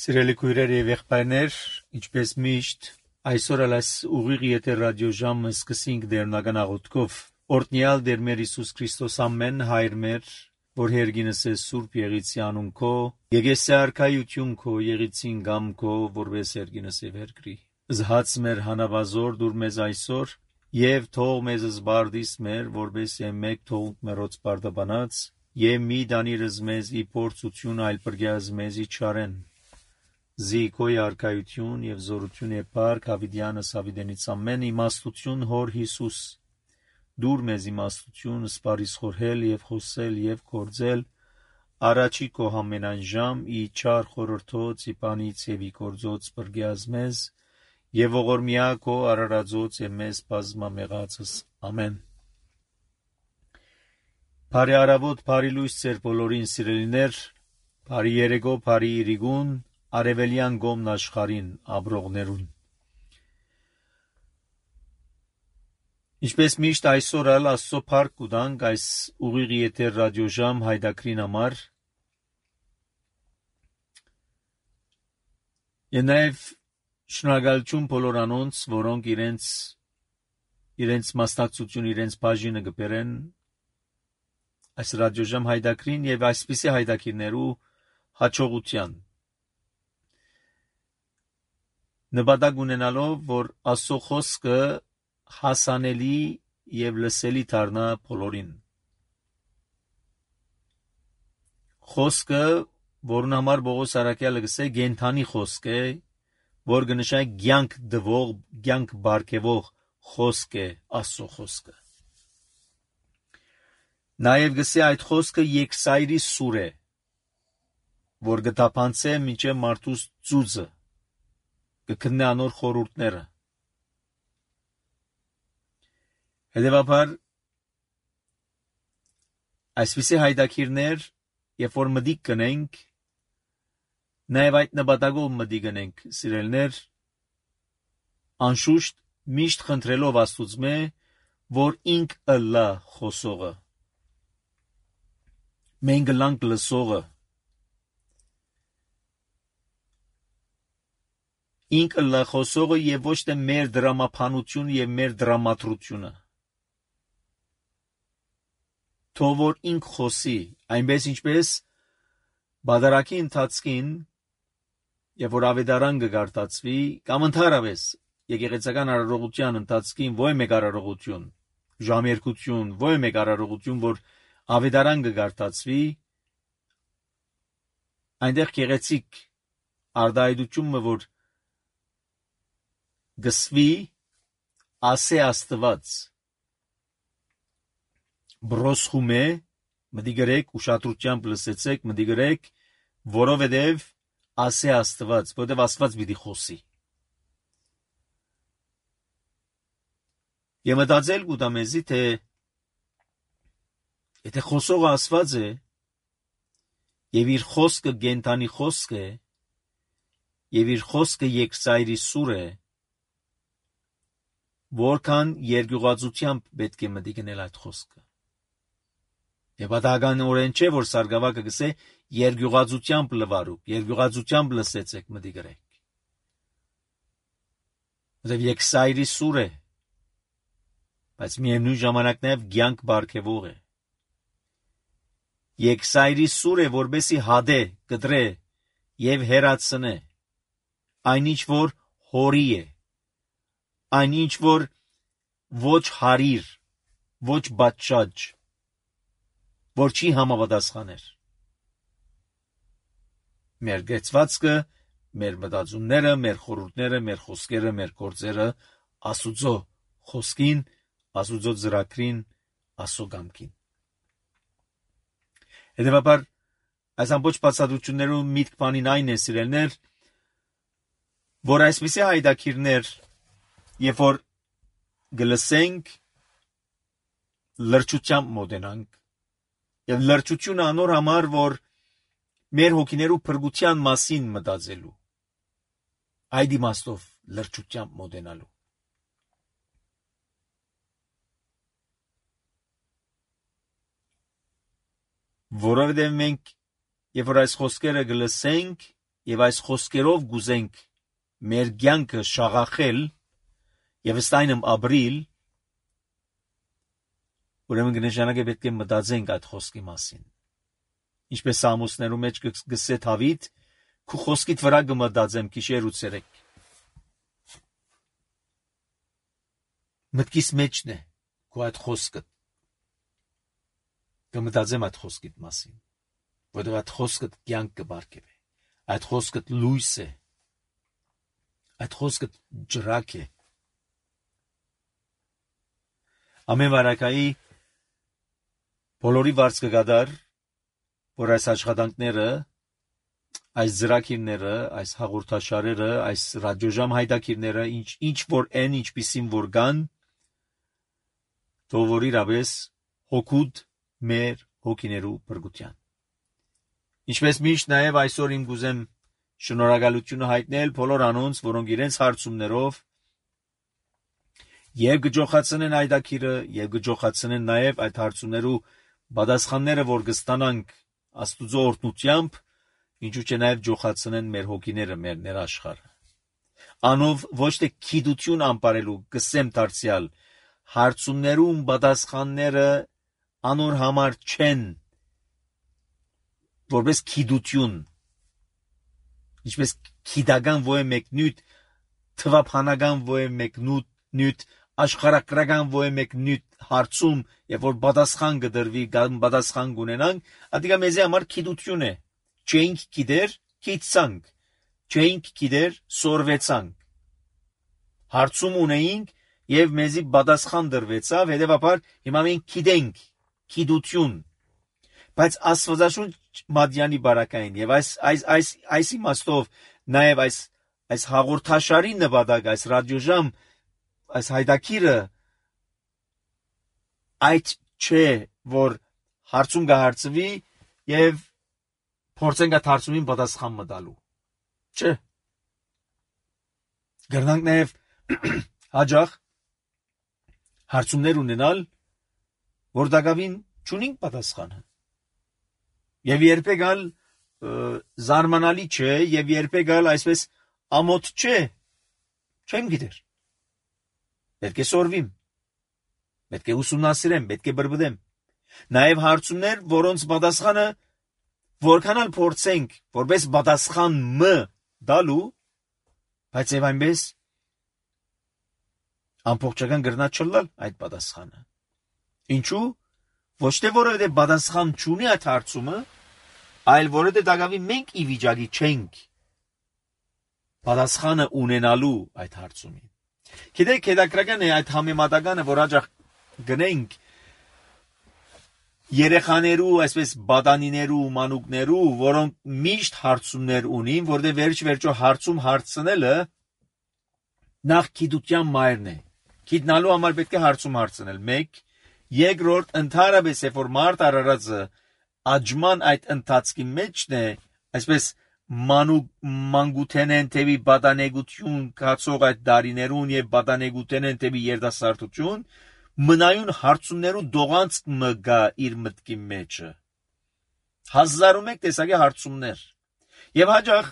Սիրելի քույրեր եւ եղբայրներ, ինչպես միշտ, այսօր ալս ուղիղ եթեր ռադիո ժամը սկսենք դերնական աղոթքով։ Օրհնյալ Տեր մեր Հիսուս Քրիստոս ամեն հայր մեր, որ հերգինս է Սուրբ Եղիցի անուն քո, եկեսի արքայություն քո, եղիցին գամ քո, որպես հերգինս է վերգրի։ Զհաց մեր հանավազոր դուր մեզ այսօր, եւ թող մեզ զբարդիս մեր, որպես մեկ թողունք մերոց բարդաբանած, եւ մի դանիրս մեզ ի փորձություն այլ բրգյազ մեզ ի չարեն։ Զիքոյ արքայություն եւ զորություն եւ փառք Հավիդյանս Հավիդենից ամեն իմաստություն հոր Հիսուս դուր մեզ իմաստություն սպարիս խորհել եւ խոսել եւ կործել առաջի քո ամենայն ժամ ի չար խորհրդոց ի բանից եւ ի կործոց բրգյազ մեզ եւ ողորմյա քո արարածոց եւ մեզ բազմամեղածս ամեն Բարի արավոտ բարի լույս ձեր բոլորին սիրելիներ բարի երեկո բարի իրիգուն Արևելյան գոմն աշխարհին աբրողներուն Ինչպես միշտ այսօր ալ Աստծո փառք կուտանք այս ուղիղ եթեր ռադիոժամ հայդակրին համար Եվ նաև շնորհակալություն բոլոր անոնց որոնք իրենց մասնակցություն իրենց բաժինը կբերեն այս ռադիոժամ հայդակրին եւ այսպիսի հայդակիրներու հաջողության Նպատակ ունենալով, որ Աստծո խոսքը հասանելի եւ լսելի դառնա բոլորին։ Խոսքը, որն համար Պողոս Արաքյալը գսե գենթանի խոսք է, որ կնշա կյանք դվող, կյանք բարգեւող խոսք է Աստծո խոսքը։ Նաեւ գսե այդ խոսքը երկսայրի սուր է, որ կտապանցե մինչև մարդուս ծուծը կքննե անոր խորհուրդները։ Հետևաբար այսպիսի հայդակիրներ, երբ որ մտիկ կնենք, նաև այդ նպատակով մտիկ կնենք, սիրելիներ, անշուշտ միշտ խնդրելով Աստուծմե, որ ինք ըլլա խոսողը, մենք ըլլանք լսողը, ինքը լախոսողը եւ ոչ թե մեր դրամապանությունը եւ մեր դրամատրությունը թող որ ինք խոսի այնպես ինչպես բادرակի ընթացքին եւ որ ավետարան կգարտացվի կամ ընդհանրապես եկեղեցական արարողության ընթացքին ոչ մեկ արարողություն ժամերկություն ոչ մեկ արարողություն որ ավետարան կգարտացվի այնտեղ գեղեցիկ արդայդությունը որ գսվի ասե Աստված բրոսխումե մտի գրեք ուշադրությամբ լսեցեք մտի գրեք որովհետև ասե Աստված որովհետև Աստված պիտի խոսի Եվ մտածել կուտամեզի թե եթե խոսողը Աստված է եւ իր խոսքը գենթանի խոսք է եւ իր խոսքը երկսայրի սուր է Որքան երկյուղածությամբ պետք է մտի գնել այդ խոսքը։ Եվ պատահականորեն չէ, որ սարգսակը գսե երկյուղածությամբ լվարուկ, երկյուղածությամբ լսեցեք մտի գրեք։ Եվ երկսայրի սուր է, բայց միևնույն ժամանակ նաև կյանք բարգեւող է։ Երկսայրի սուր է, որբեսի հադե, կտրե եւ հերացնե, այնինչ որ հորի է։ Այնինչ որ ոչ հարիր, ոչ բաճճ, որ չի համապատասխաներ։ Մեր գեցվածքը, մեր մտածումները, մեր խորհուրդները, մեր խոսքերը, մեր գործերը Աստուծո խոսքին, Աստուծո ծրագրին, Աստծո կամքին։ Հետևաբար այս ամբողջ բացատրություններում միտք բանին այն է սիրելներ, որ այսպիսի հայդակիրներ Երբ որ գլսենք լրջությամբ մոտենանք եւ լրջությունը անոր համար որ մեր հոգիներու փրկության մասին մտածելու այդ իմաստով լրջությամբ մոտենալու որովհետև մենք երբ որ այս խոսքերը գլսենք եւ այս խոսքերով գուզենք մեր կյանքը շաղախել եւ ստայնմ ապրիլ, ուրեմն կնշանակե պետք է մտածենք այդ խոսքի մասին։ Ինչպես Սամոսներու մեջ գսե Դավիթ, քու խոսքիդ վրա կմտածեմ գիշեր ու ցերեկ։ Մտքիս մեջն է քու այդ խոսքը։ Կմտածեմ այդ խոսքիդ մասին, որովհետև այդ խոսքը կյանք կբարգեւի։ Այդ խոսքը լույս է։ Այդ խոսքը ջրակ է։ Ամեն վարակայի բոլորի վարձ կգադար, որ այս աշխատանքները, այս ծրագիրները, այս հաղորդաշարերը, այս ռադիոժամ հայտակիրները, ինչ որ են, ինչպիսին որ կան, թող որ իրապես հոգուտ մեր հոգիներու բրգության։ Ինչպես միշտ նաև այսօր իմ գուզեմ շնորհակալությունը հայտնել բոլոր անոնց, որոնք իրենց հարցումներով եւ գջոխացնեն այդակիրը եւ գջոխացնեն նաև այդ հարցումներու պատասխանները, որ կստանանք Աստուծո օրհնությամբ, ինչու՞ չէ նաև ջոխացնեն մեր հոգիները, մեր ներաշխարը։ Անով ոչ թե քիդություն անպարելու կսեմ դարձյալ հարցումներում պատասխանները անոր համար չեն որպես քիդություն, ինչպես քիդական ոյ մեկնուտ, թվափանական ոյ մեկնուտ, աշխարհակրական ոյ մեկնուտ հարցում, եւ որ պատասխան կդրվի, պատասխան կունենանք, ադիգա մեզի համար քիդություն է։ Չենք գիտեր, քիդցանք, չենք գիտեր, սորվեցանք։ Հարցում ունեինք եւ մեզի պատասխան դրվեցավ, հետեւաբար հիմա մենք գիտենք, քիդություն։ Բայց Աստվածաշունչ Մադյանի բարակային եւ այս իմաստով նաեւ այս հաղորդաշարի նպատակ, այս ռադիոժամ, այս հայտակիրը այդ չէ, որ հարցում կհարցվի եւ փորձենք այդ հարցումին պատասխան մտալու։ Չէ։ Գերնանք նաեւ հաջող հարցումներ ունենալ, որ դակավին չունենք պատասխանը։ Եվ երբեք ալ զարմանալի չէ, եւ երբեք ալ այսպես ամոթ չէ, չեմ գիտեր։ Պետք է սորվիմ, պետք է ուսումնասիրեմ, պետք է բրբդեմ։ Նաեւ հարցումներ, որոնց պատասխանը որքան ալ փորձենք, որպես պատասխան դալու, բայց եւ այնպես ամբողջական գրնա չլալ այդ պատասխանը։ Ինչու՞։ Ոչ թե որովհետեւ պատասխան չունի այդ հարցումը, այլ որովհետեւ դակավի մենք ի վիճակի չենք պատասխանը ունենալու այդ հարցումին։ Գիտեք, հետաքրքրական է այդ համեմատականը, որ հաջող գնենք երեխաներու, այսպես բադանիներու, մանուկներու, որոնք միշտ հարցումներ ունին, որտեղ վերջ-վերջո հարցում հարցնելը նախ գիտության մայրն է։ Գիտնալու համար պետք է հարցում հարցնել։ 1, երկրորդ ընդհանրապես երբ որ մարդ արարածը աջման այդ ընթացքի մեջն է, այսպես մանկութենեն թեւի բադանեգություն կացող այդ դարիներուն եւ բադանեգութենեն թեւի երդասարտություն, մնայուն հարցումներու դողանց մգա իր մտքի մեջը։ 1001 տեսակի հարցումներ։ Եվ հաջող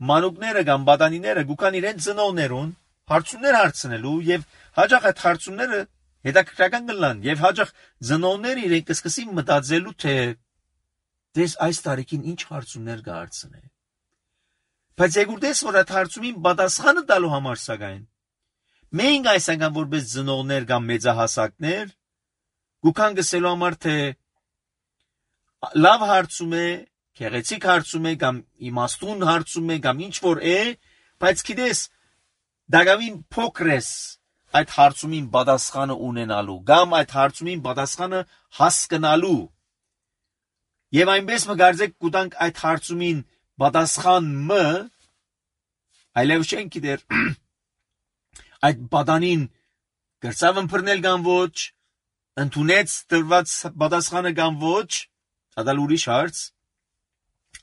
մանուկները կամ բադանիները գուքան իրեն ծնողներուն հարցումներ հարցնելու եւ հաջող այդ հարցումները հետաքրքրական կլան եւ հաջող ծնողները իրեն կսկսի մտածելու թե դες այս տարիքին ինչ հարցումներ կհարցնե։ Բայց եկուրտես որ այդ հարցումին պատասխանը տալու համար սակայն մենք այսական որպես ծնողներ կամ մեծահասակներ գուքան գսելու համար թե լավ հարցում է, քեղեցիկ հարցում է կամ իմաստուն հարցում է կամ ինչ որ է, բայց գիտես դակավին փոքրես այդ հարցումին պատասխանը ունենալու կամ այդ հարցումին պատասխանը հասկանալու եւ այնպես մգարձեք կուտանք այդ հարցումին պատասխան այլև չենք գիտեր այդ բադանին գրծավ ըմբռնել կամ ոչ, ընդունեց տրված պատասխանը կամ ոչ, ադալ ուրիշ հարց,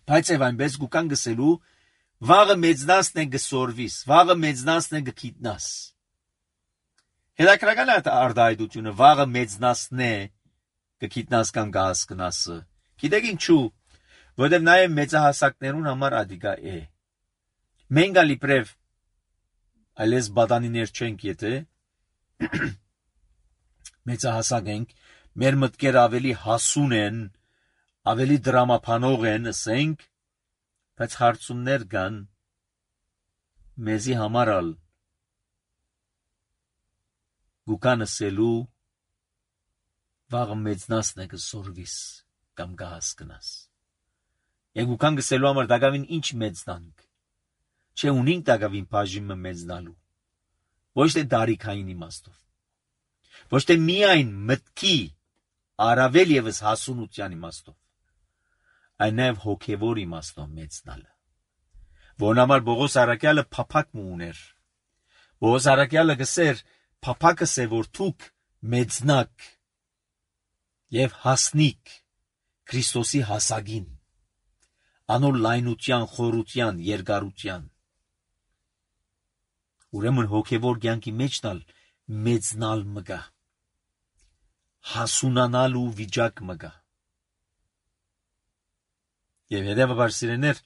բայց եւ այնպես գուքան գսելու վաղը մեծնասն է գսորվիս, վաղը մեծնասն է գքիտնաս։ Հետաքրքրական է արտահայտությունը վաղը մեծնասն է գքիտնաս կամ գահսկնասը։ Գիտեք ինչու, որովհետև նաև մեծահասակներուն համար ադիգա է։ Մենք ալիպրև այլես բադանիներ չենք, եթե մեծահասակ ենք, մեր մտքերը ավելի հասուն են, ավելի դրամապանող են, ասենք, բայց հարցումներ կան մեզի համար ալ գուկան ասելու վաղը մեծնասն է կսորվիս կամ կհասկնաս։ Եվ գուկան գսելու համար դագավին ինչ մեծնանք, չէ ունինք դագավին բաժիմը մեծնալու, ոչ թե դարիքային իմաստով, ոչ թե միայն մտքի առավել ևս հասունության իմաստով, այլ նաև հոգևոր իմաստով մեծնալը, որն համար Պողոս առաքյալը փափակ մը ուներ։ Պողոս առաքյալը գսեր փափակս է, որ դուք մեծնակ եւ հասնիկ Քրիստոսի հասագին, անոր լայնության, խորության, երկարության։ Ուրեմն հոգևոր կյանքի մեջնալ մեծնալ մգա, հասունանալու վիճակ մգա։ Եվ հետևաբար սիրեներ,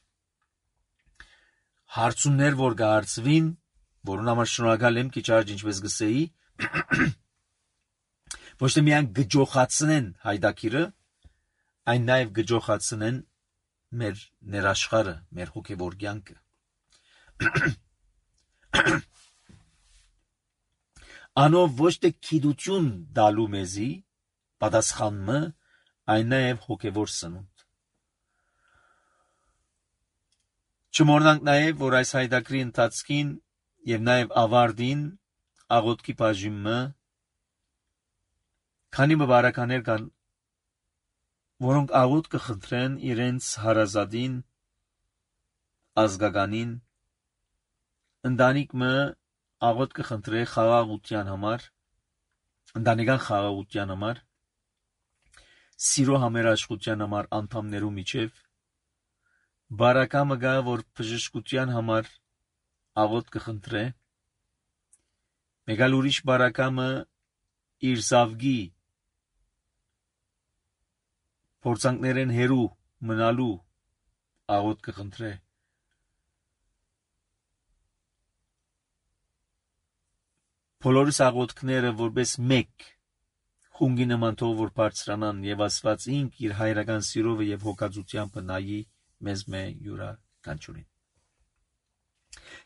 հարցումներ, որ կհարցվին, որուն համար շնորհակալ եմ քիչ առաջ ինչպես գսեի, ոչ թե միայն գջոխացնեն հայդակիրը, այն նաև գջոխացնեն մեր ներաշխարը, մեր հոգևոր կյանքը։ Անով ոչ թե գիտություն դալու մեզի պատասխանը, այն նաև հոգևոր սնունդ։ Չմոռնանք նաև, որ այս հայդակրի ընթացքին եւ նաև ավարտին աղոթքի բաժինը քանի բարականեր կան, որոնք աղոթ կխնդրեն իրենց հարազատին, ազգականին, ընտանիքը աղոթ կխնդրե խաղաղության համար, ընտանեկան խաղաղության համար, սիրո համերաշխության համար անդամներու միջև, բարակամը գա, որ բժշկության համար աղոթ կխնդրե, մեկ այլ ուրիշ բարակամը իր զավգի փորձանքներեն հերու մնալու աղոթ կխնդրե։ Բոլորս աղոթքները որպես մեկ խունգի նման թող որ բարձրանան եւ Աստված ինք իր հայրական սիրովը եւ հոգածությամբ նայի մեզ յուրաքանչյուրին։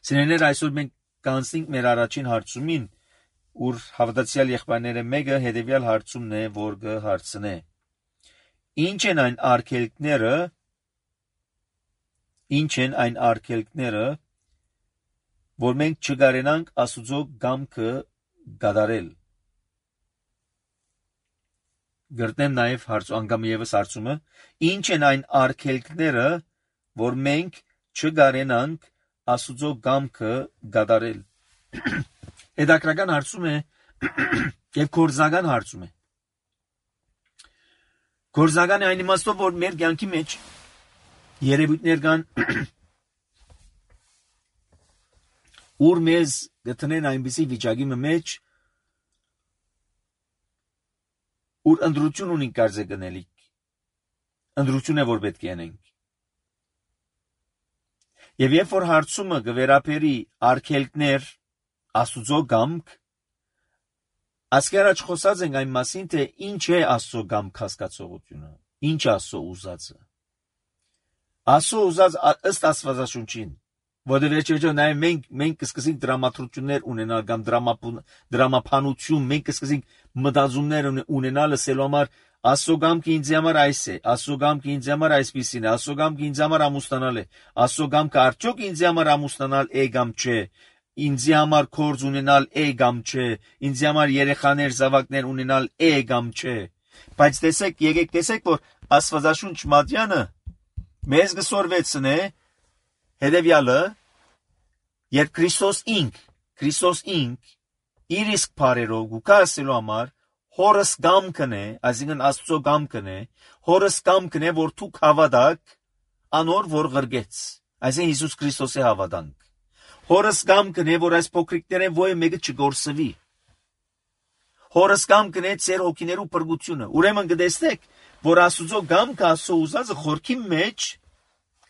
Սիրելիներ, այսօր մենք կանցնենք մեր առաջին հարցումին, ուր հավատացյալ եղբայրները մեկը հետեւյալ հարցումն է, որ կհարցնե. Ինչ են այն արգելքները, որ մենք չկարենանք Աստուծո կամքը կատարել։ Գրտնեմ նաև անգամ ևս հարցումը. Ինչ են այն արգելքները, որ մենք չկարենանք Աստուծո կամքը կատարել։ Հետաքրական հարցում է եւ գործնական հարցում է։ Գործնական է այն իմաստով, որ մեր կյանքի մեջ երևույթներ կան, ուր մեզ գտնեն այնպիսի վիճակի մեջ, ուր ընդրություն ունենք կարծե գնելիք, ընդրություն է, որ պետք է անենք։ Եվ երբ որ հարցումը կվերապերի արգելքներ Աստուծո կամք, ասկի առաջ խոսած ենք այն մասին, թե ինչ է Աստծո կամք հասկացողությունը, ինչ Աստծո ուզածը։ Աստծո ուզած ըստ Աստվածաշունչին, որտեղ վերջերս նաև մենք կսկսենք դրամատրություններ ունենալ կամ դրամապանություն, մենք կսկսենք մտածումներ ունենալ ասելու համար Աստծո կամքը ինձ համար այս է, Աստծո կամքը ինձ համար այսպիսին է, Աստծո կամքը ինձ համար ամուսնանալ է, Աստծո կամքը արդյոք ինձ համար ամուսնանալ է կամ չէ, ինձ համար կորձ ունենալ է կամ չէ, ինձ համար երեխաներ, զավակներ ունենալ է կամ չէ։ Բայց եկեք տեսեք, որ Աստվածաշունչ Մատյանը մեզ գսորվեցնե հետևյալը, երբ Քրիստոս ինք իր իսկ բարերով գուկա ասելու համար հորս կամքն է, այսինքն Աստծո կամքն է, հորս կամքն է, որ դուք հավատաք անոր, որ գրգեց, այսինքն Հիսուս Քրիստոսի հավատանք։ Հորս կամքն է, որ այս փոքրիկներեն ոյ մեկը չգործվի։ Հորս կամքն է ձեր հոգիներու փրկությունը։ Ուրեմն կտեսնեք, որ Աստուծո գամքը Աստծո ուզածը խորքի մեջ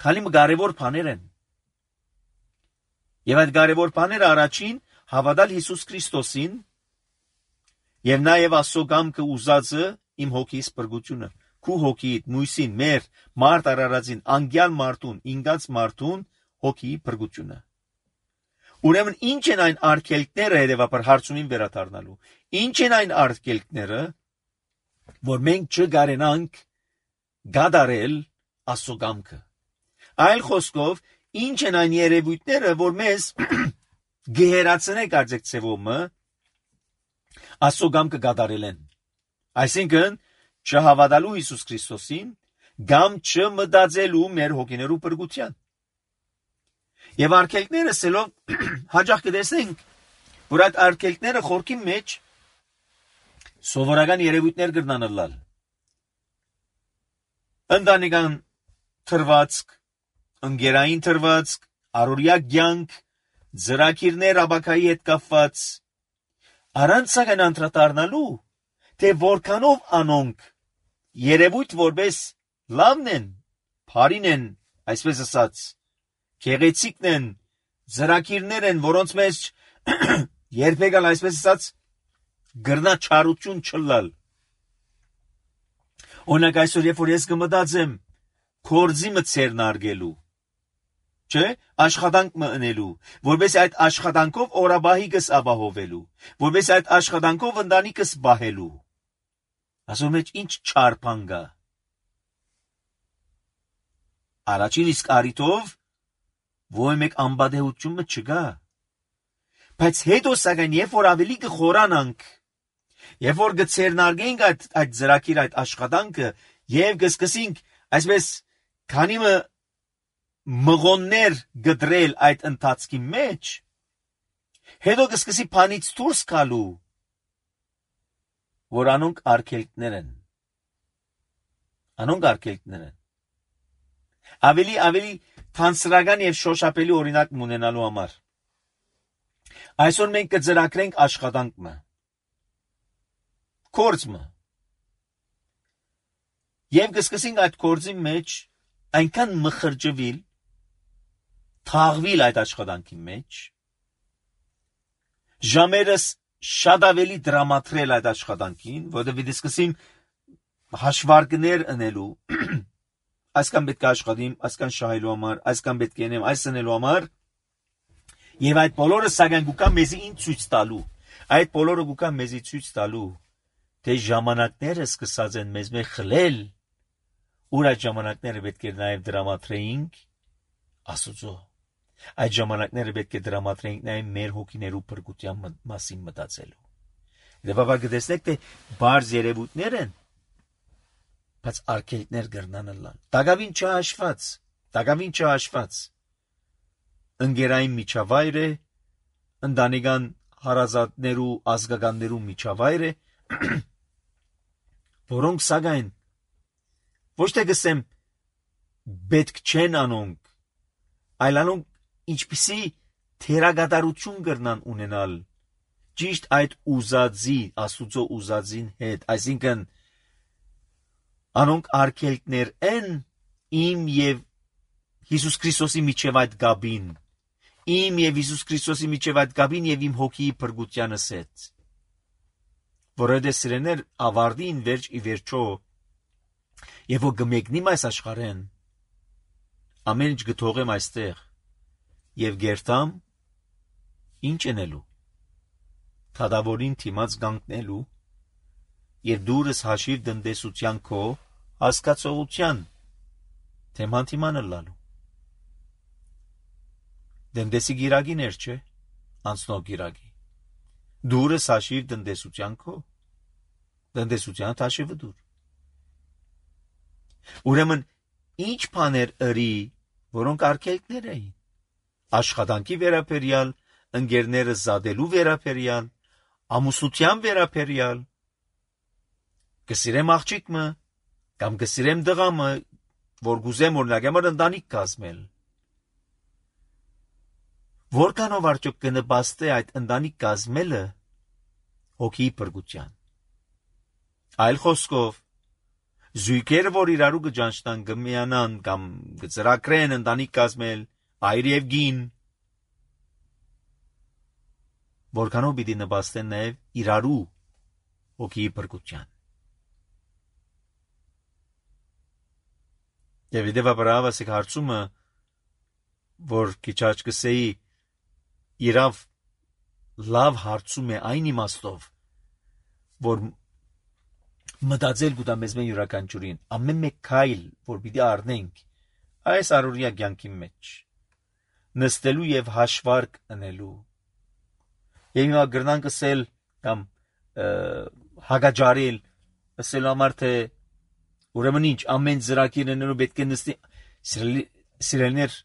քանի կարևոր բաներ են։ Եվ այդ կարևոր բաները առաջին հավատալ Հիսուս Քրիստոսին եւ նաեւ Աստծո գամքը ուզածը իմ հոգիս բրգությունը, քու հոգիդ, մույսին, մեր մարդ արարածին, անգյալ մարդուն, ինգած մարդուն հոգի բրգությունը։ Ուրեմն ինչ են այն արգելքները, հետևաբար հարցումին վերադառնալու։ Ինչ են այն արգելքները, որ մենք չգարենանք գադարել Աստծո գամքը։ Այլ խոսքով, ինչ են այն երևույթները, որ մեզ գեհերացնեն կարծեք ցևոմը Աստծո գամքը գադարել են։ Այսինքն չհավատալու Հիսուս Քրիստոսին, գամ չմտածելու մեր հոգիներու բրգության։ Եվ արգելքները սելով հաջող կտեսնենք, որ այդ արգելքները խորքի մեջ սովորական երևույթներ կգնանալալ։ Ընտանեկան թրվածք, ընկերային թրվածք, առօրյա կյանք, ծրագիրներ աբակայի հետ կապված, առանց սակայն անդրադառնալու, թե որքանով անոնք երևույթ որպես լավն են, բարին են, այսպես ասած, գեղեցիկն են, ծրագիրներ են, որոնց մեջ երբեք այսպես ասած գրնա չարություն չլալ։ Օրինակ այսօր երբ որ ես կմտածեմ կորձի մցերնարգելու, չէ, աշխատանք մնելու, որպես այդ աշխատանքով օրաբահիկս ապահովելու, որպես այդ աշխատանքով ընտանիքս բահելու։ Ասում մեջ ինչ չար բան կա։ Առաջին իսկ առիթով ոչ մեկ անբադեհությունը չկա։ Բայց հետո սակայն երբ որ ավելի կխորանանք, երբ որ կցերնարգենք այդ ծրագիր, այդ աշխատանքը եւ կսկսենք այսպես քանիմը մղոններ գդրել այդ ընթացքի մեջ, հետո կսկսի բանից դուրս գալու, որ անոնք արգելքներ են։ Անոնք արգելքներ են։ Ավելի թանցրական եւ շոշափելի օրինակ ունենալու համար։ Այսօր մենք կծրագրենք աշխատանքը, կորձը, եւ կսկսենք այդ կորձի մեջ այնքան մխրջվել, թաղվել այդ աշխատանքի մեջ, ժամերս շատ ավելի դրամատրել այդ աշխատանքին, որովհետեւ կսկսեմ հաշվարկներ անելու, այսքան պետք է աշխատեմ, այսքան շահելու համար, այսքան պետք է անեմ, այս անելու համար, եւ այդ բոլորը սակայն գուկա մեզի ինչ ցույց տալու, այդ բոլորը գուկա մեզի ցույց տալու, թե ժամանակները սկսած են մեզ մեջ խլել, ուր այդ ժամանակները պետք է նաեւ դրամատրեինք Աստծո։ Այդ ժամանակները պետք է դրամատրեինք նաեւ մեր հոգիներու փրկության մասին մտածելու։ Դեպաբար կտեսնեք, թե բարձ երևույթներ են, բայց արգելքներ կրնանալան։ Տակավին չհաշված։ Ընկերային միջավայր է, ընտանեկան հարազատներու, ազգականներու միջավայր է, որոնք սակայն ոչ թե գսեմ պետք չեն անոնք, այլ անոնք ինչպիսի թերագադարություն կրնան ունենալ ճիշտ այդ ուզածի, Աստուծո ուզածին հետ, այսինքն անոնք արգելքներ են իմ եւ Հիսուս Քրիստոսի միջև այդ գաբին, իմ եւ Հիսուս Քրիստոսի միջև այդ գաբին եւ իմ հոգիի փրկությանս հետ, որովհետեւ սիրեներ ավարտին վերջ ի վերջո, եւ որ գմեկնիմ այս աշխարհեն, ամեն ինչ գթողեմ այստեղ եւ գերտամ ինչ անելու, թադավորին թիմած գանկնելու եւ դուրս հաշիվ դնդեսության քո հասկացողության թեման թիմանը լալու։ Դնդեսի գիրագիներ չէ, անցնող գիրագի։ Դուրս հաշիվ դնդեսության քո, դնդեսության հաշիվը դուր։ Ուրեմն ինչ բաներ ըրի, որոնք արգելքներ էին, աշխատանքի վերաբերյալ, ընկերները զադելու վերաբերյալ, ամուսնության վերաբերյալ, կսիրեմ աղջիկը, կամ կսիրեմ դղամը, որ գուզեմ օրինակ համար ընտանիք կազմել։ Որքանով արդյոք կնպաստի այդ ընտանիք կազմելը հոգիի փրկության։ Այլ խոսքով, Զույգերը, որ իրարու կճանչնան, կմիանան կամ կծրակրեն ընտանիք կազմել, այր եւ գին, որքանով պիտի նպաստեն նաեւ իրարու հոգի բրգության։ Եվ դեպի ասեք հարցումը, որ քիչաչ կսեի իրավ լավ հարցում է այն իմաստով, որ մտածել գուտա մեզ մեն յուրաքանչյուրին, ամեն մեկ քայլ, որ պիտի առնենք այս առօրյա կյանքի մեջ, նստելու եւ հաշվարկ անելու։ Եվ հիմա գրնանք ասել կամ հագաջարել, ասել համար թե ուրեմն ինչ ամեն ծրագիրներով պետք է նստի սիրելիներ,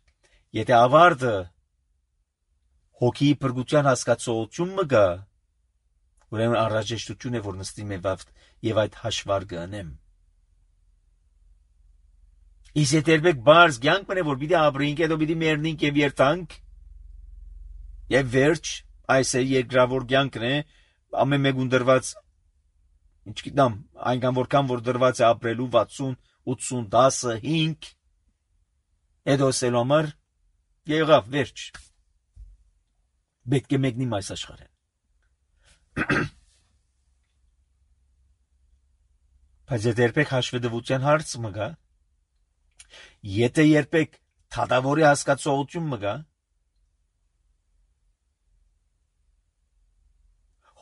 եթե ավարտը հոգի բրգության հասկացողություն մը գա, ուրեմն անհրաժեշտություն է որ նստի եւ այդ հաշվարկը անեմ։ Իսկ եթե երբեք բարձ կյանք մնե որ պիտի ապրենք, հետո պիտի մեռնենք եւ երթանք, եւ վերջ այս է երկրավոր կյանքն է, ամեն մեկուն դրված, ինչ գիտեմ, այնքան որքան որ դրված է ապրելու 60, 80, 10, 5, հետո ասելու համար եղավ վերջ։ Պետք է մեկնի այս աշխարհը։ Բայց եթե երբեք հաշվետվության հարց մը գա, եթե երբեք թադավորի հասկացողություն մը գա,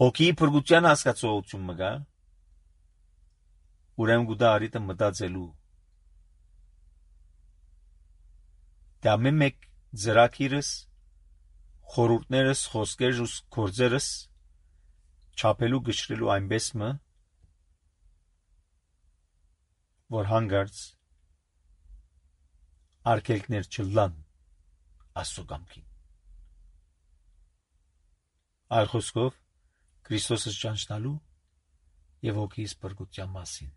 հոգի բրգության հասկացողություն մը գա, ուրեմն գուտա արիտը մտածելու։ Դա ամեն մեկ ծրագիրս, խորհուրդներս, խոսքերս, գործերս չափելու գշրելու այնպես մը, որ հանգարց արգելքներ չլան Աստծո կամքին։ Այլ խոսքով Քրիստոսը ճանչնալու եւ հոգիս բրգության մասին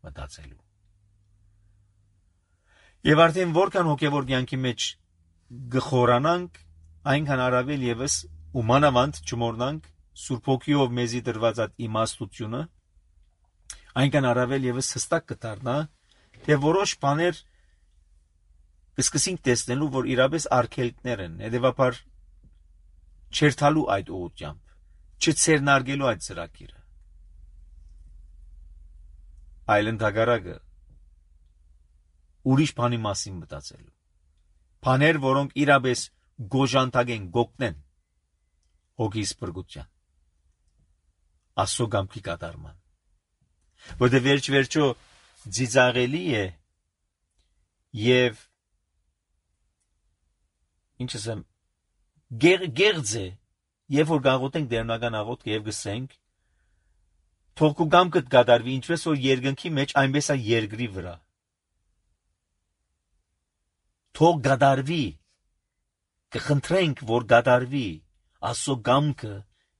մտածելու։ Եվ արդեն որքան հոգեվոր կյանքի մեջ գխորանանք, այնքան առավել եւս ումանավանդ չմոռնանք Սուրբ Հոգիով մեզի դրված այդ իմաստությունը, այնքան առավել եւս հստակ կդառնա, թե որոշ բաներ կսկսենք տեսնելու, որ իրապես արգելքներ են, հետեւաբար չերթալու այդ ուղղությամբ, չցերնարգելու այդ ծրագիրը։ Այլ ընդհակառակը ուրիշ բանի մասին մտածելու։ Բաներ, որոնք իրապես գոժանտագեն, գոգնեն հոգիս բրգության, Աստծո կամքի կատարման։ Որտե վերջ-վերջո ծիծաղելի է եւ ինչ ասեմ գերձ է, երբ որ գաղութենք դերնական աղոթքը եւ գսենք, թող քո կամքդ կատարվի, ինչպես որ երկնքի մեջ, այնպես է երկրի վրա։ Թող կատարվի, կխնդրենք, որ կատարվի Աստծո կամքը,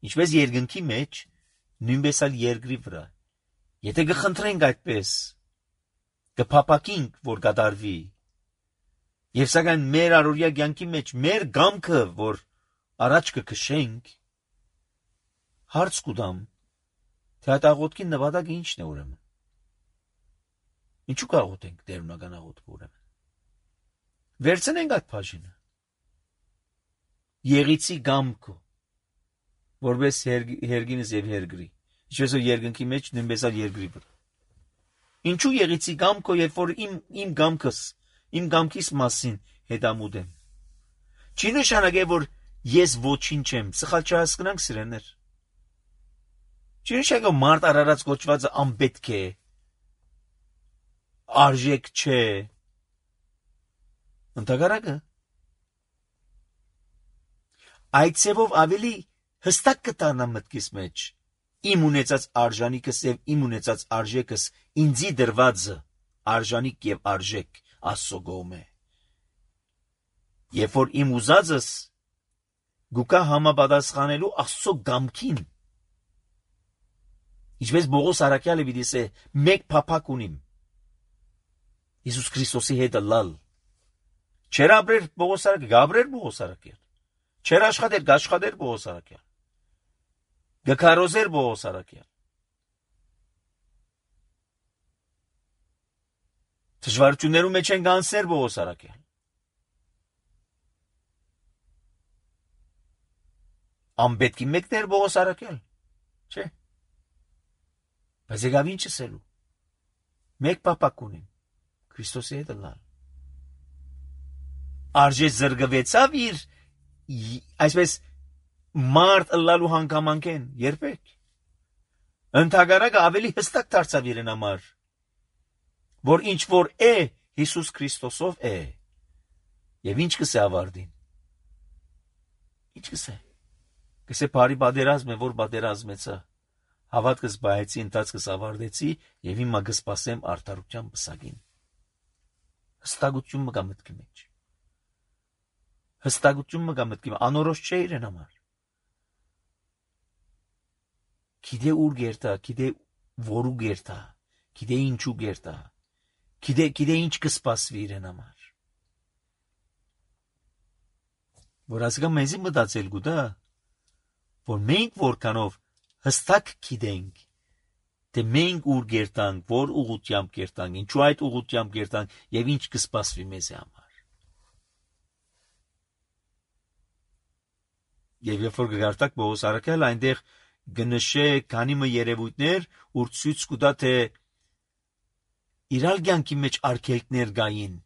ինչպես երկնքի մեջ, նույնպես էլ երկրի վրա։ Եթե կխնդրենք այդպես, կփապակենք, որ կատարվի, եւ սակայն մեր առօրյա կյանքի մեջ մեր կամքը, որ առաջ կքշենք, հարց կուտամ, թե այդ աղոթքի նպատակը ինչն է ուրեմն։ Ինչու կաղոթենք դերունական աղոթքը ուրեմն։ Վերցնենք այդ բաժինը։ Եղիցի կամքը, որպես հերգինս եւ հերգրի, ինչպես որ երկնքի մեջ նույնպես էլ երկրի վրա։ Ինչու եղիցի կամքը, երբ որ իմ կամքս, իմ կամքիս մասին հետամուտ եմ։ Չի նշանակե, որ ես ոչինչ եմ, սխալ չհասկանանք սիրելիներ։ Չի նշանակե մարդ արարած կոչվածը անպետք է, արժեք չէ։ Ընդհակառակը այդ ցևով ավելի հստակ կտանա մտքիս մեջ իմ ունեցած արժանիքս եւ իմ ունեցած արժեքս ինձի դրվածը արժանիք եւ արժեք Աստծո կողմէ։ Երբ որ իմ ուզածս գուկա համապատասխանելու Աստծո կամքին, ինչպես Պողոս Արաքյալը պիտի ասե, մեկ փափակ ունիմ Հիսուս Քրիստոսի հետ լալ։ Չեր ապրեր Պողոս Արաքյալ, գաբրեր Պողոս Արաքյալ։ Չեր աշխատեր, գաշխատեր Պողոս Արաքյալ։ Գքարոզեր Պողոս Արաքյալ։ Դժվարություններում մեջ են գանսեր Պողոս Արաքել։ Անպետքի մեկներ Պողոս Արաքել, չէ։ Բայց եկավ ինչ ասելու։ Մեկ պապակ ունին, Քրիստոսի հետ լալ։ Արժե զրկվեցավ իր այսպես մարդ լալու հանգամանքեն, երբեք։ Ընդհակառակը ավելի հստակ դարձավ իրեն համար, որ ինչ որ է Հիսուս Քրիստոսով է։ Եվ ինչ կսե ավարտին։ Ինչ կսե։ Կսե բարի պատերազմ է, որ պատերազմեցա։ Հավատքս բայեցի, ընթացքս ավարտեցի եւ հիմա կսպասեմ արդարության պսակին։ Հստակություն մգա մտքի մեջ։ Հստակություն մգա մտքի մեջ, անորոշ չէ իրեն համար։ Գիտե ուր գերտա, գիտե որու գերտա, գիտե ինչու գերտա, գիտե ինչ կսպասվի իրեն համար։ Որ ասկա մեզի մտածել գուտա, որ մենք որքանով հստակ գիտենք, թե մենք ուր գերտանք, որ ուղղությամբ գերտանք, ինչու այդ ուղղությամբ գերտանք եւ ինչ կսպասվի մեզի համար։ Եվ երբ որ գարտակ Պողոս Արաքել այնտեղ գնշե քանի մը երևույթներ, ուր ցույց կտա թե իրալ կյանքի մեջ արգելքներ գային։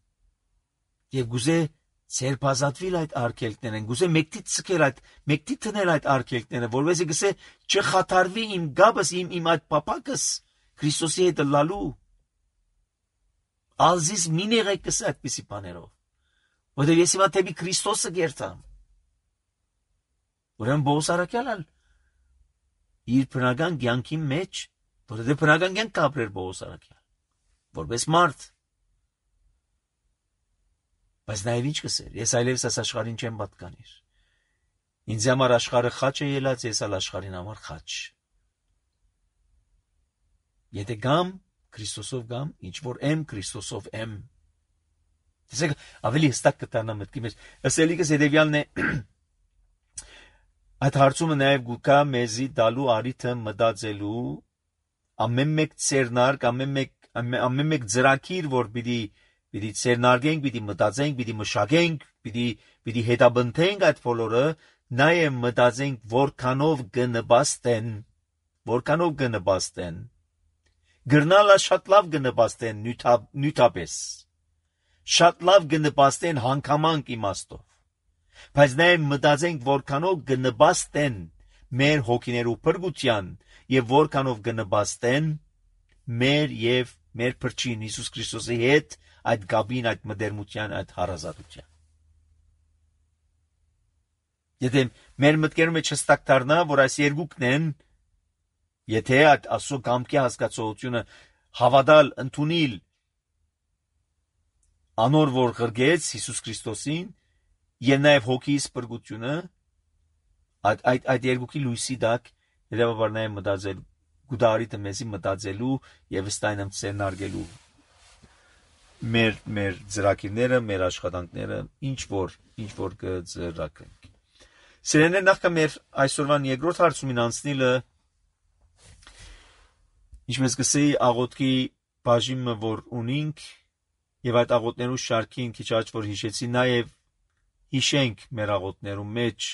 Եվ գուզե ցերբազատվիլ այդ արգելքներն, գուզե մեկտի ցկել այդ, մեկտի տնել այդ արգելքները, որովհետեւ գսե չխաթարվի իմ գաբս, իմ այդ պապակս Քրիստոսի հետ լալու։ Ալզիս մինեղեք կսա այդպիսի բաներով։ Որովհետեւ ես հիմա թեպի Քրիստոսը գերտամ։ Ուրեմն Պողոս Արաքելն իր բնական կյանքի մեջ, որովհետեւ բնական կյանք կապրեր Պողոս Արաքել, որպես մարդ։ Բայց նաև ինչ կսեր, ես այլևս այս աշխարհին չեմ պատկանիր։ Ինձ համար աշխարհը խաչ է ելած, ես ալ աշխարհին համար խաչ։ Եթե գամ Քրիստոսով գամ, ինչ որ եմ Քրիստոսով եմ։ Տեսեք, ավելի հստակ կտանա մտքի մեջ։ Ասելիքս հետևյալն է. այդ հարցումը նաև գուկա մեզի դալու արիթը մտածելու ամեն մեկ ծերնարկ, ամեն մեկ ծրագիր, որ պիտի ծերնարգենք, պիտի մտածենք, պիտի մշակենք, պիտի հետաբնթենք այդ բոլորը, նաև մտածենք որքանով կնպաստեն, գրնալա շատ լավ կնպաստեն նյութապես, շատ լավ կնպաստեն հանգամանք իմաստով, բայց նաև մտածենք որքանով կնպաստեն մեր հոգիներու փրկության եւ որքանով կնպաստեն մեր եւ մեր փրկին Հիսուս Քրիստոսի հետ այդ գաբին, այդ մդերմության, այդ հարազատության։ Եթե մեր մտքերում հստակ դառնա, որ այս երկուքն են, եթե այդ ասո կամքի հասկացողությունը հավատալ, ընդունել անոր որ գրգեց Հիսուս Քրիստոսին եւ նաեւ հոգիս փրկությունը, այդ երկուքի լույսի դակ հետեւաբար նաեւ մտածել գուդարիթը մեզի մտածելու եւ ստայնամ ցենարգելու մեր ծրագիրները, մեր աշխատանքները, ինչ որ կծրագրենք։ Սերեներ նախքան մեր այսօրվան երկրորդ հարցումին անցնելը, ինչպես կսեի աղոթքի բաժինը որ ունենք եւ այդ աղոթներու շարքին քիչ աճ որ հիշեցի, նաեւ հիշենք մեր աղոթներու մեջ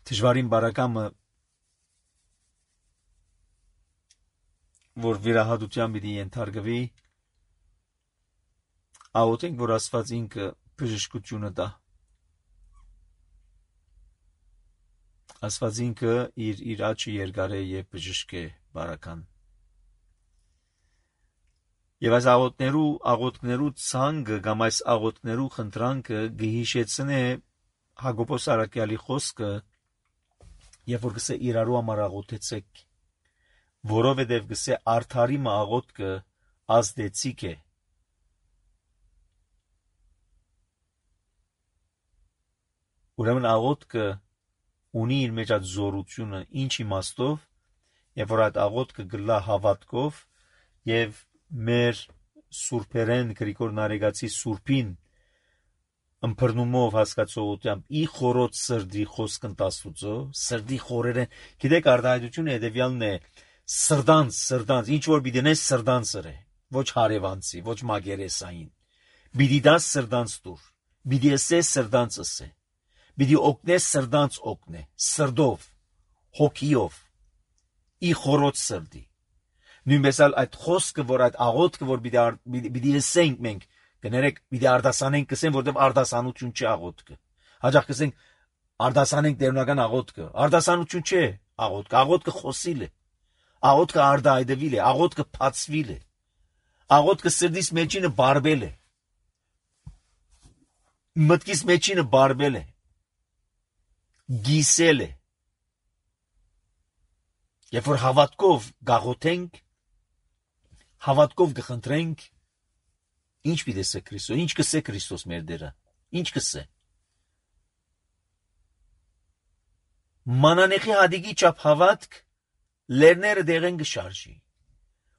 դժվարին բարակամը որ վիրահատության պիտի ենթարկվի, աղոթենք, որ Աստված ինքը բժշկությունը տա։ Աստված ինքը իր աչքը երկար է եւ բժշկ է բարական։ Եվ այս աղոթքներու ցանկը կամ այս աղոթքներու խնդրանքը գհիշեցնե Հակոբոս Արաքյալի խոսքը, երբ որ գսե իրարու համար աղոթեցեք, որովհետև գսե արդարի աղոթքը ազդեցիկ է։ Ուրեմն աղոթքը ունի իր մեջ այդ զորությունը, ինչ իմաստով, երբ որ այդ աղոթքը գլա հավատքով եւ մեր սուրբերեն Գրիգոր Նարեգացի սուրբին ըմբռնումով հասկացողությամբ ի խորոց սրդի խոսքն տասուծո, սրդի խորերեն, գիտեք արտահայտությունը հետևյալն է, Սրդանց, ինչ որ պիտի նես սրդանց է, ոչ հարևանցի, ոչ մագերեսային։ Պիտի դաս սրդանց դուր, պիտի ասես սրդանց ասե, պիտի օգնես սրդանց օգնե, սրդով, հոգիով, ի խորոց սրդի։ Նույնպես այդ խոսքը, որ այդ աղոթքը, որ պիտի ասենք մենք, կներեք, պիտի արտասանենք, կսենք, որտեղ արտասանություն չի աղոթքը։ Հաջող կսենք, արտասանենք տերունական աղոթքը։ Արտասանություն չէ աղոթքը, աղոթքը խոսիլ է։ Աղոթքը արտահայտվել է, աղոթքը փածվել է։ Աղոթքը սրտիս մեջինը բարբել է։ Մտքիս մեջինը բարբել է։ Գիսել է։ Երբ որ հավատքով գաղոթենք, հավատքով կխնդրենք, ինչ պիտի ասե Քրիստոս, ինչ կսե Քրիստոս մեր Տերը, ինչ կսե։ Մանանեխի հադիգի չափ հավատք լերները դեղեն կշարժի։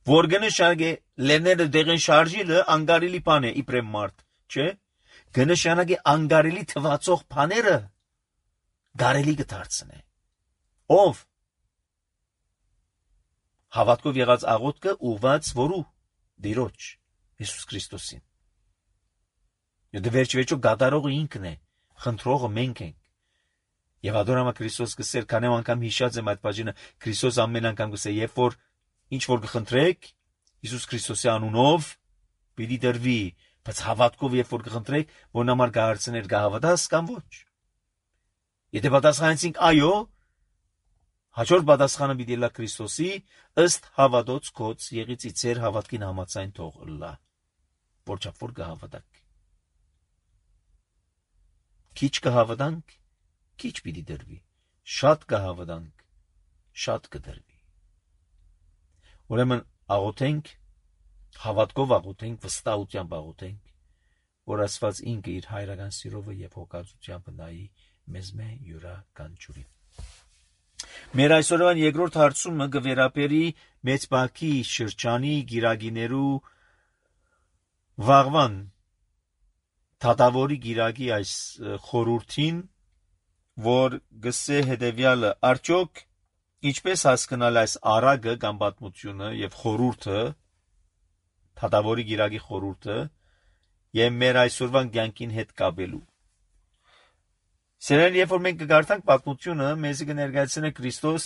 Որ կնշանակե լերները դեղեն շարժիլը անգարելի բան է իբրեմ մարդ, չէ՞։ Կնշանակե անգարելի թվացող բաները գարելի կդարձնե։ Ով հավատքով եղած աղոթքը ուղված որու Տիրոջ Հիսուս Քրիստոսին։ Եվ վերջիվերջո գադարողը ինքն է, խնդրողը մենք ենք։ Եվ ադորամա Քրիստոս կսեր, քանի անգամ հիշած եմ այդ բաժինը, Քրիստոս ամեն անգամ կսե, երբ որ ինչ որ կխնդրեք Հիսուս Քրիստոսի անունով, պիտի դրվի, բայց հավատքով երբ որ կխնդրեք, որ նամար կհարցներ կհավատաս կամ ոչ։ Եթե պատասխանեցինք այո, հաջորդ պատասխանը պիտի լա Քրիստոսի ըստ հավատոց կոց եղիցի ձեր հավատքին համաձայն թող լա, որչափ որ կհավատաք։ Քիչ կհավատանք, քիչ պիտի դրվի, շատ կհավատանք, շատ կդրվի։ Ուրեմն աղոթենք, հավատքով աղոթենք, վստահությամբ աղոթենք, որ Աստված ինքը իր հայրական սիրովը եւ հոգածությամբ նայի մեզ յուրաքանչյուրին։ Մեր այսօրվան երկրորդ հարցումը կվերապերի մեծ բակի շրջանի գիրագիներու վաղվան թադավորի գիրագի այս խորհրդին, որ գսե հետևյալը, արդյոք ինչպես հասկանալ այս արագը կամ պատմությունը եւ խորհուրդը, թադավորի գիրագի խորհուրդը եւ մեր այսօրվան կյանքին հետ կապելու։ Սերեն, երբ որ մենք կգարտանք պատմությունը, մեզ կներկայացնե Քրիստոս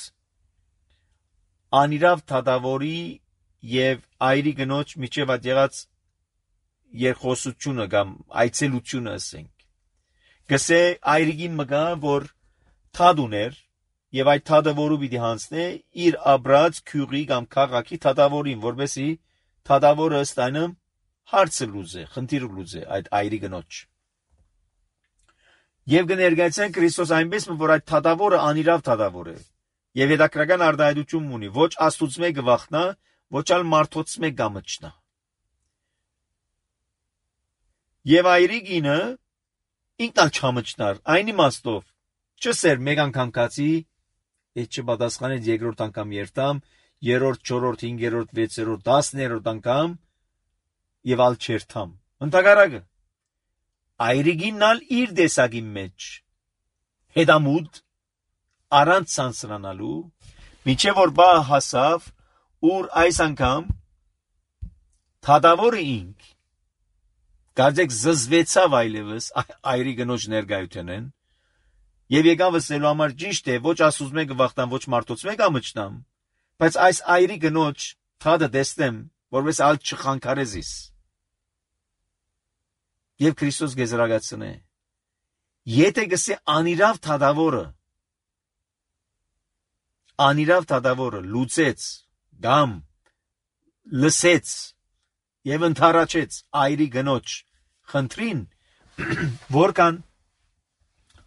անիրավ թադավորի եւ այրի գնոջ միջև այդ եղած երկխոսությունը կամ այցելությունը ասենք։ Գսե այրիգին մգա, որ թադ ուներ եւ այդ թադը որու պիտի հանցնե իր աբրած քյուղի կամ քաղաքի թադավորին, որովհետեւ թադավորը ստանա հարցը լուզե, խնդիրը լուզե այդ այրի գնոջ։ Եվ կներկայացնեն Քրիստոս այնպես, որ այդ թադավորը անիրավ թադավոր է եւ հետաքրական արտահայտություն ունի, ոչ Աստծուց մեկը վախնա, ոչ ալ մարդոց մեկ գամչնա։ Եվ այրիգինը ինքնալ չամչնար, այն իմաստով չսեր մեկ անգամ կացի, այդ չպատասխանեց երկրորդ անգամ երթամ, երրորդ, չորրորդ, հինգերորդ, վեցերորդ, 10-րդ անգամ եւ ալ չերթամ։ Ընդհակառակը այրիգինալ իր դեսագի մեջ հետամուտ առանց սանսրանալու միջև որ բա հասավ ուր այս անգամ թադավորը ինք գարձեք զզվեցավ այլևս այրի գնոջ ներկայութենեն եւ եկավ ասելու համար ճիշտ է ոչ ասուզ մեկը վախտան ոչ մարդոց մեկ ամճնամ բայց այս այրի գնոջ թադը դեստեմ որպես ալ չխանգարեզիս եւ Քրիստոս գեզրագացնե եթե գսե անիրավ թադավորը լուծեց գամ լսեց եւ ընթառաջեց այրի գնոջ խնդրին որքան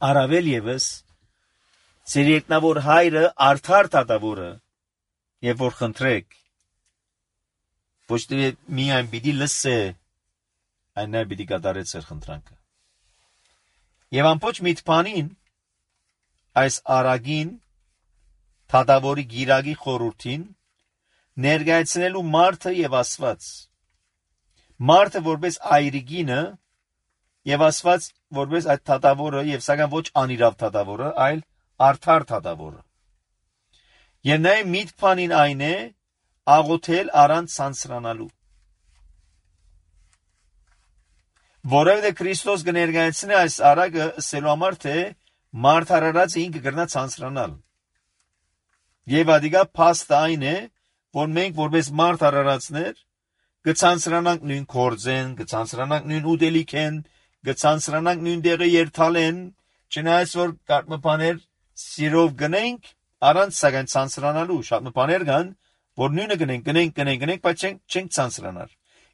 առավել եւս ծեր երկնավոր հայրը արդար թադավորը եւ որ խնդրեք ոչ թե միայն պիտի լսե այն նա պիտի կատարեց իր խնդրանքը եւ ամբողջ միտքանին այս արագին թադավորի գիրագի խորհրդին ներկայացնելու մարդը եւ Աստված մարդը որպես այրիգինը եւ Աստված որպես այդ թադավորը եւ սակայն ոչ անիրավ թադավորը այլ արդար թադավորը Եվ նաև միտք բանին այն է աղոթել առանց ցանցրանալու։ Որովհետև Քրիստոս կներկայացնի այս արագը ասելու համար, թե մարդարարածը ինքը կգրնա ցանցրանալ։ Եվ ադիգա փաստը այն է, որ մենք որպես մարդարարածներ կցանցրանանք նույն կորձեն, կցանցրանանք նույն ուտելիքեն, կցանցրանանք նույն դեղը երթալեն, չնայած որ կարմը բաներ սիրով գնենք, առանց սակայն ցանցրանալու շատ բաներ կան, որ նույնը գնենք, բայց չենք ցանցրանալ։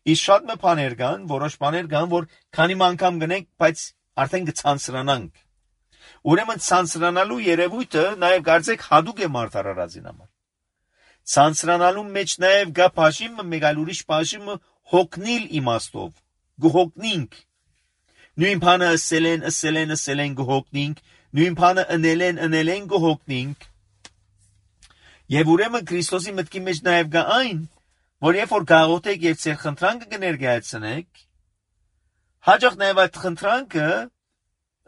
Իսկ շատ բաներ կան, որոշ բաներ կան, որ քանի անգամ գնենք, բայց արդեն կցանցրանանք։ Ուրեմն ցանցրանալու երևույթը նաև կարծեք հadouk է մարդարարածին համար։ Ցանցրանալու մեջ նաև գա բաժիմը, մեկ այլ ուրիշ բաժիմը հոգնիլ իմաստով, գհոգնինք։ Նույն բանը ասել են գհոգնինք, նույն բանը ընել են գհոգնինք։ Եվ ուրեմն Քրիստոսի մտքի մեջ նաև գա այն, որ երբ որ գաղութեք եւ ձեր խնդրանքը կներկայացնեք, հաջող նաև այդ խնդրանքը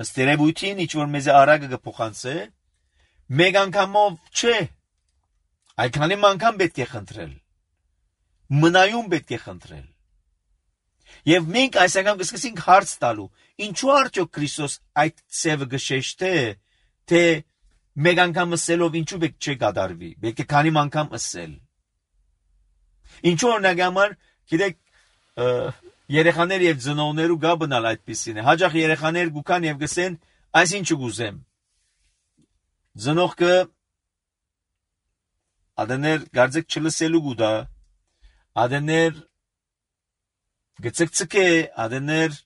ըստ երևույթին ինչ որ մեզ արագը կփոխանցե, մեկ անգամով չէ, այդքանի անգամ պետք է խնդրել, մնայուն պետք է խնդրել։ Եվ մենք այս անգամ կսկսենք հարց տալու, ինչու արդյոք Քրիստոս այդ ծևը գշեշտե, թե մեկ անգամ ասելով ինչու պետք չէ կատարվի, պետք է քանի անգամ ասել։ Ինչու օրինակ համար, գիտեք, երեխաներ եւ ծնողներու գա բնալ այդպիսին է։ Հաջող երեխաներ գուքան եւ գսեն, այսինչ գուզեմ։ Ծնողքը ադներ գարձեք չլսելու գուտա, ադներ գծկծկե, ադներ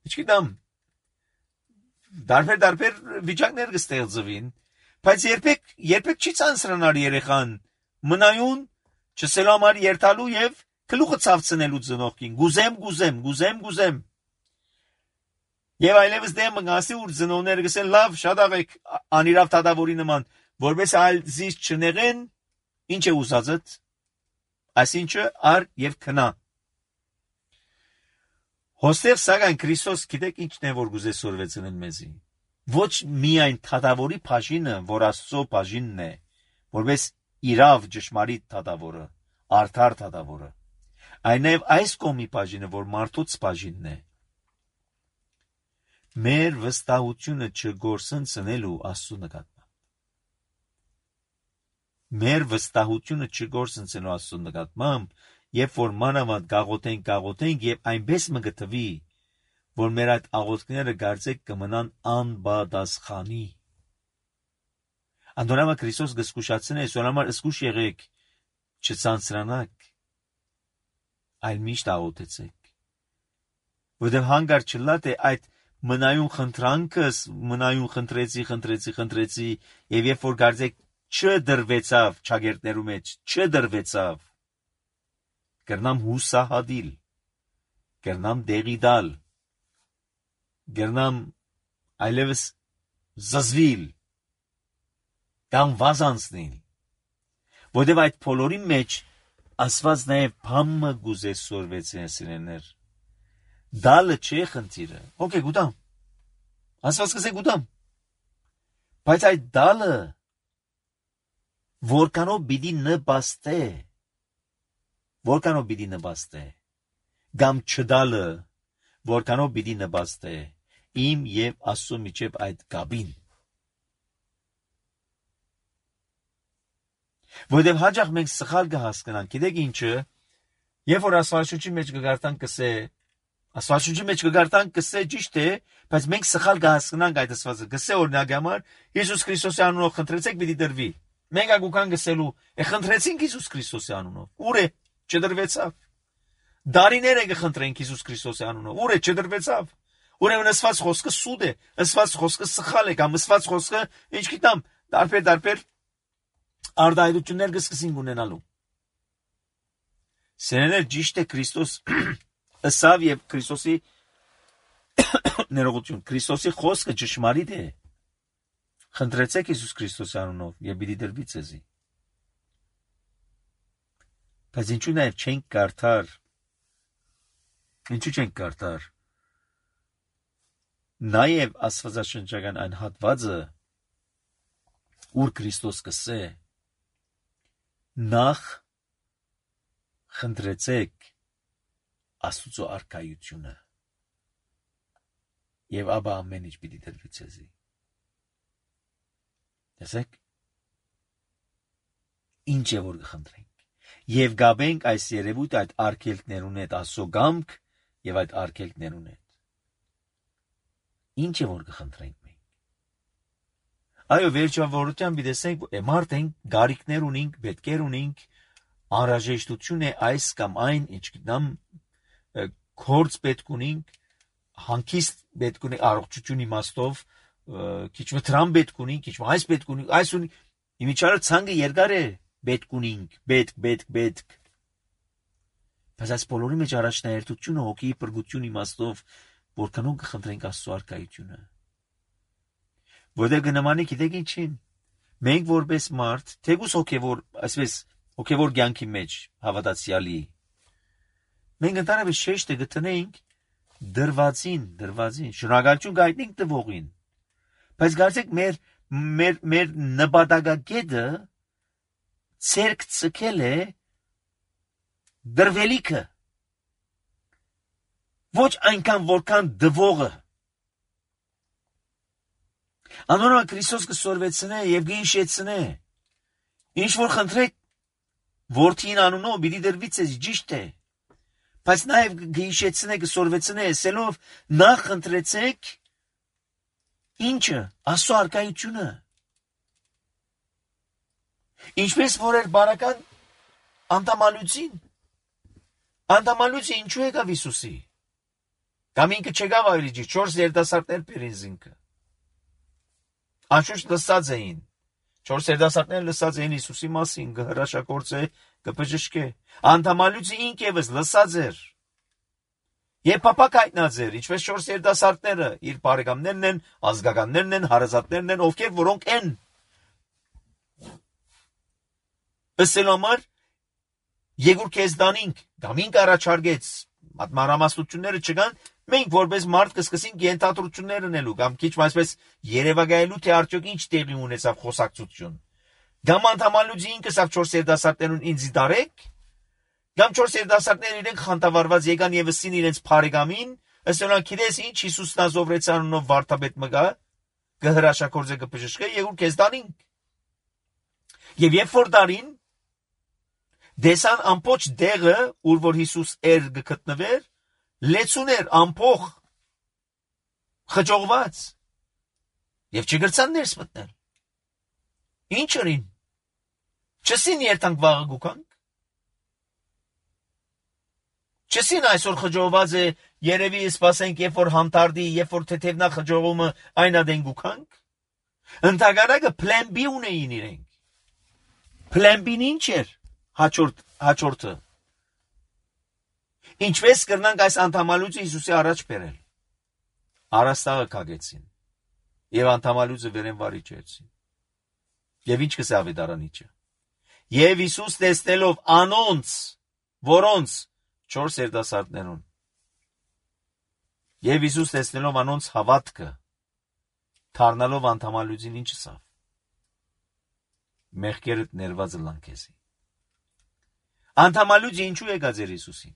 իչքիդամ դարբեր վիճակներ կստեղծվին, բայց երբեք չի ցանցրանալ երեխան մնայուն չսելու համար երթալու եւ գլուխը ցավցնելու ծնողքին, գուզեմ։ Եվ այլևս դեմ մգասի ուր ծնողները գսեն լավ, շատ աղեք անիրավ դատավորի նման, որպես այլ զիս չնեղեն, ինչ է ուզածդ, այսինչը ար եւ քնա։ Հոստեղ սակայն Քրիստոս գիտեք ինչն է որ գուզե սորվեցնեն մեզի։ Ոչ միայն դատավորի բաժինը, որ Աստծո բաժինն է, որպես իրավ ճշմարիտ դատավորը, արդար դատավորը, այլ նաև այս կողմի բաժինը, որ մարդուց բաժինն է։ Մեր վստահությունը չգործընծնելու Աստծո նկատմամբ։ Մեր վստահությունը չգործընծնելու Աստծո նկատմամբ, երբ որ մանավանդ գաղութենք եւ այնպես մը գտվի, որ մեր այդ աղոթքները գարձեք կմնան անբադասխանի։ Անդորամա Քրիստոս գսկուշացնե, սորամար սկուշ եղեք, չցանցրանաք, այլ միշտ աղոթեցեք։ Որտեղ հանգար չլա թե այդ մնայուն խնդրանքս, մնայուն խնդրեցի, եւ երբ որ գարձեք չդրվեցավ ճագերտներու մեջ, չդրվեցավ, կրնամ հուսահադիլ, կրնամ դեղի դալ, կրնամ այլևս զզվիլ, կամ վազանցնիլ, որտև այդ փոլորի մեջ ասված նաև բամը գուզե սորվեցին սիրեներ, դալը չէ խնդիրը, ոք է գուտամ, ասված կսե գուտամ, բայց այդ դալը որքանով բիդի նպաստե, գամ չդալը, որքանով բիդի նպաստե, իմ և Աստծո միջև այդ գաբին։ Որտև հաջող մենք սխալ կհասկանանք, գիտեք ինչը, երբ որ Աստվածաշունչի մեջ կգարտանք կսե ճիշտ է, բայց մենք սխալ կհասկանանք այդ ասվածը, կսե օրինակ համար, Հիսուս Քրիստոսի անունով խնդրեցեք պիտի դրվի։ Մենք ագուքան գսելու, խնդրեցինք Հիսուս Քրիստոսի անունով, ուր է, չդրվեցավ։ Դարիներ ենք խնդրենք Հիսուս Քրիստոսի անունով, ուր է, չդրվեցավ։ Ուրեմն ասված խոսքը սուտ է, ասված խոսքը սխալ է, կամ ասված խոսքը, ինչ գիտամ, տարբեր արդայություններ կսկսին ունենալու։ Սերեներ ճիշտ է Քրիստոս ըսավ եւ Քրիստոսի ներողություն, Քրիստոսի խոսքը ճշմարիտ է։ Խնդրեցեք Հիսուս Քրիստոսի անունով եւ պիտի դրվի ձեզի։ Բայց ինչու նաեւ չենք կարդար։ Ինչու չենք կարդար։ Նաեւ աստվածաշնչական այն հատվածը, ուր Քրիստոս կսե նախ խնդրեցեք Աստուծո արքայությունը եւ ապա ամեն ինչ պիտի տրվի ցեզի։ Տեսեք ինչ է որ կխնդրենք եւ գաբենք այս երևույթ այդ արգելքներուն հետ Աստծո գամք եւ այդ արգելքներուն հետ ինչ է որ կխնդրենք մենք։ Այո, վերջավորությամբ դեսենք մարդ ենք, գարիքներ ունենք, պետքեր ունենք, անհրաժեշտություն է այս կամ այն, ինչ գտնամ կորց պետք ունենք, հանգիստ պետք ունենք, առողջություն իմաստով, քիչ մտրամ պետք ունենք, քիչ այս պետք ունենք, այս ունենք, իմիջիայլը ցանկը երկար է պետք ունենք, պետք։ Բայց այս բոլորի մեջ առաջնահերթությունը հոգի բրգություն իմաստով, որքանով կխնդրենք Աստծո արքայությունը։ Որտեղ կնամանի գիտեք ինչին։ Մենք որպես մարդ, թեկուս հոգևոր, այսպես հոգևոր կյանքի մեջ հավատացյալի, մենք ընդհանրապես շեշտը գտնենք դրվածին, շնորհակալություն գայտնենք տվողին։ Բայց կարծեք մեր նպատակագետը ցերկ ցկել է դրվելիքը։ Ոչ այնքան որքան դվողը։ Անոնոմալ Քրիստոս կսորվեցնե եւ կհիշեցնե։ Ինչ որ խնդրեք որդին անունով պիտի դրվի ցեզ ճիշտ է։ Բայց նաեւ կհիշեցնե, կսորվեցնե, ասելով նախ խնդրեցեք ինչը Աստծո արքայությունը։ Ինչպես որ էր բարական անդամալուծին ինչու եկավ Հիսուսի։ Կամ ինքը չեկավ այլիջի 4 երիտասարդներ պերինզինքը։ Անշուշտ լսած էին։ 4 երիտասարդները լսած էին Հիսուսի մասին, կհրաշագործե, կբժշկե։ Անդամալուծը ինքևս լսած էր։ Եվ փապակ հայտնած էր, ինչպես 4 երիտասարդները, իր բարեկամներն են, ազգականներն են, հարազատներն են, ովքեր որոնք են։ Ըսելու համար Եգուր քեզ դանինք, կամ ինք առաջարկեց, մանրամասնությունները չկան, մենք որպես մարդ կսկսենք ենթադրություններ ունելու, կամ քիչ այսպես երևակայելու, թե արդյոք ինչ տեղի ունեցավ խոսակցություն։ Կամ անդամալուծի ինքս ավ 4 երիտասարդներուն ինձ դարեք, կամ 4 երիտասարդները իրենք խանդավառված եկան եւ ըսին իրենց բարեկամին, ըստ գիտես ինչ Հիսուսն ազովրեց անունով վարդապետ մգա, կհրաշագործե կբժշկե, Եգուր քեզ դանինք։ Եվ երբ որ դարին դեսան ամբողջ դեղը, ուր որ Հիսուս էր գտնվեր, լեցուներ ամփոխ խճողված եւ չգրցան ներս մտնել։ Ինչ արին։ Չսին երթանք վաղը գուքանք։ Չսին այսօր խճողված է, երևի սպասենք, երբ որ համտարդի, երբ որ թեթևնա խճողումը այն ադեն գուքանք։ Ընդհանրակը plan B ունեին իրենք։ Plan B-ն ինչ էր։ Հաջորդը։ Ինչպես կրնանք այս անդամալուծը Հիսուսի առաջ բերել։ Արաստաղը կագեցին։ Եվ անդամալուծը վերեն վարիչեցին։ Եվ ինչ կսե ավետարանիչը։ Եվ Հիսուս տեսնելով անոնց, որոնց 4 երիտասարդներուն։ Եվ Հիսուս տեսնելով անոնց հավատքը, թարնալով անդամալուծին ինչ ասավ։ Մեղքերդ ներված լանքեսի։ Անդամալուծը ինչու եկած էր Հիսուսին։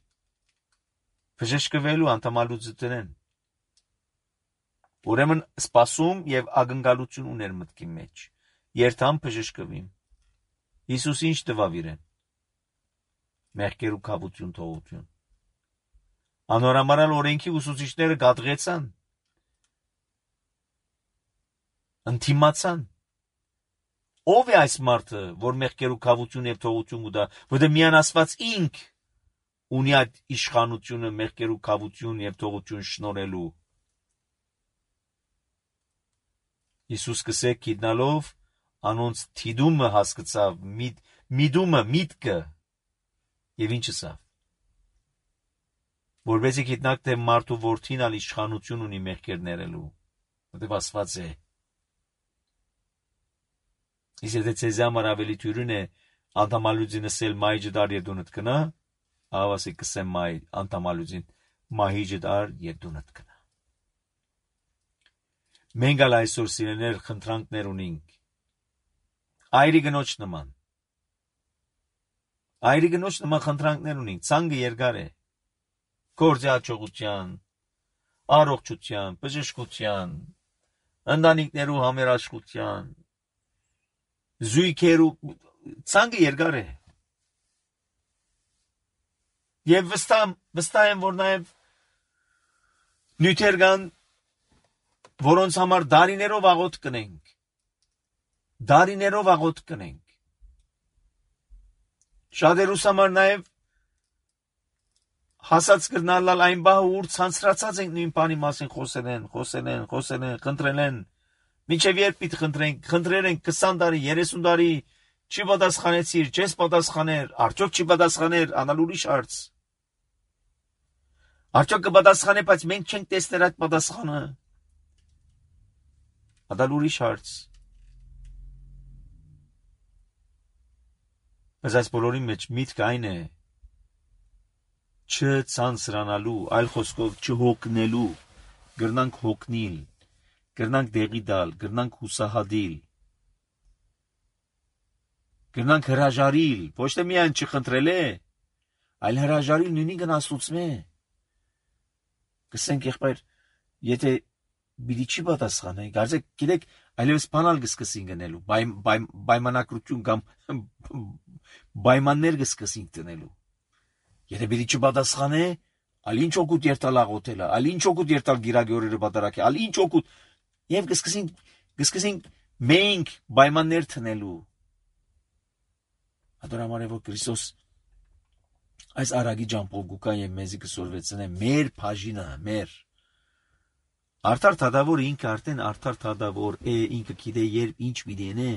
Բժշկվելու անդամալուծը տնեն։ Ուրեմն սպասում եւ ակնկալություն ուներ մտքի մեջ։ Երթամ բժշկվիմ։ Հիսուս ինչ տվավ իրեն։ Մեղքերու կավություն թողություն։ Անորամարալ օրենքի ուսուցիչները գատղեցան։ Ընթիմացան։ Ով է այս մարդը, որ մեղքերու կավություն եւ թողություն ուտա, որտեղ միան Աստված ինք ունի այդ իշխանությունը մեղքերու կավություն եւ թողություն շնորհելու։ Հիսուս կսե գիտնալով անոնց թիդումը հասկացավ, միտքը եւ ինչ ասավ։ Որովհետեւ գիտնակ թե մարդու որդին ալ իշխանություն ունի մեղքեր ներելու, որտեղ Աստված է։ Իսկ եթե ցեզ համար ավելի թյուրին է անդամալուծին ասել մայջը դար երդունդ կնա, ավասի կսեմ մայ անդամալուծին մահիջը դար երդունդ կնա։ Մենք ալ այսօր սիրելիներ խնդրանքներ ունենք Այրի գնոջ նման։ Այրի գնոջ նման խնդրանքներ ունենք, ցանկը երկար է։ Գործի հաջողության, առողջության, բժշկության, ընտանիքներու համերաշխության, զույգերու ցանկը երկար է։ Եվ վստահ եմ, որ նաև նյութեր կան, որոնց համար դարիներով աղոթք կնենք։ Դարիներով աղոթք կնենք։ Շատերուս համար նաև հասած կրնալալ այն բահը, ուր ցանցրացած ենք նույն բանի մասին խոսել են, խնդրել են։ Մինչև երբ պիտի խնդրել ենք 20 տարի, 30 տարի, չի պատասխանեցիր, չես պատասխաներ, արդյոք չի պատասխաներ, անալ ուրիշ հարց։ Արդյոք կպատասխանե, բայց մենք չենք տեսներ այդ պատասխանը։ Անալ ուրիշ հարց։ Բայց այս բոլորի մեջ միտքը այն է, չցանցրանալու, այլ խոսքով չհոգնելու, գրնանք հոգնիլ, գրնանք դեղի դալ, գրնանք հուսահատիլ, գրնանք հրաժարիլ, ոչ թե միայն չխնդրել է, այլ հրաժարիլ նույնին գնացուցմե։ Կսենք եղբայր, եթե բիդի չի պատասխանե, գարձեք, գիտեք, այլևս բանալ կսկսին գնելու, պայմանակրություն կամ պայմաններ կսկսին տնելու։ Եթե բիդի չպատասխանե, ալ ինչ օգուտ երթալ աղոթելը, ալ ինչ օգուտ երթալ գիրագի օրերը պատարակի, ալ ինչ օգուտ, եւ կսկսին մենք պայմաններ տնելու։ Adorăm որ Քրիստոս այս արագի ջամփով գուկա եւ մեզի կսորվեցնե մեր բաժինը, մեր արդար թադավոր ինքը արդեն արդար թադավոր է, ինքը գիտե երբ ինչ միդենե։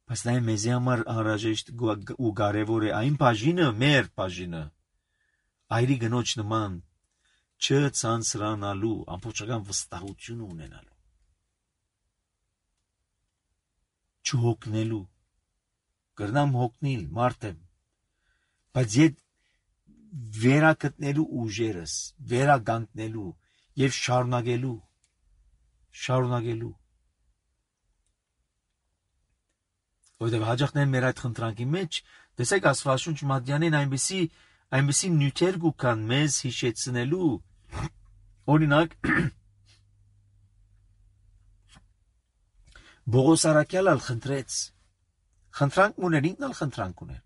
Բայց նա մեզի համար անհրաժեշտ ու կարևոր է այն բաժինը, մեր բաժինը, այրի գնոջ նման չցանցրանալու, ամբողջական վստահություն ունենալու, չհոգնելու, կրնամ հոգնիլ, մարդեմ, բայց ետ վերակտնելու ուժերս, վերագանտնելու և շարունակելու, որտև հաջախնեն մեր այդ խնդրանքի մեջ, տեսեք Աստվածաշունչ Մատյանեն այնպիսի նյութեր կան մեզ հիշեցնելու, օրինակ, Բողոս Արաքյալը խնդրեց, խնդրանք ուներ, ինքն ալ խնդրանք ուներ,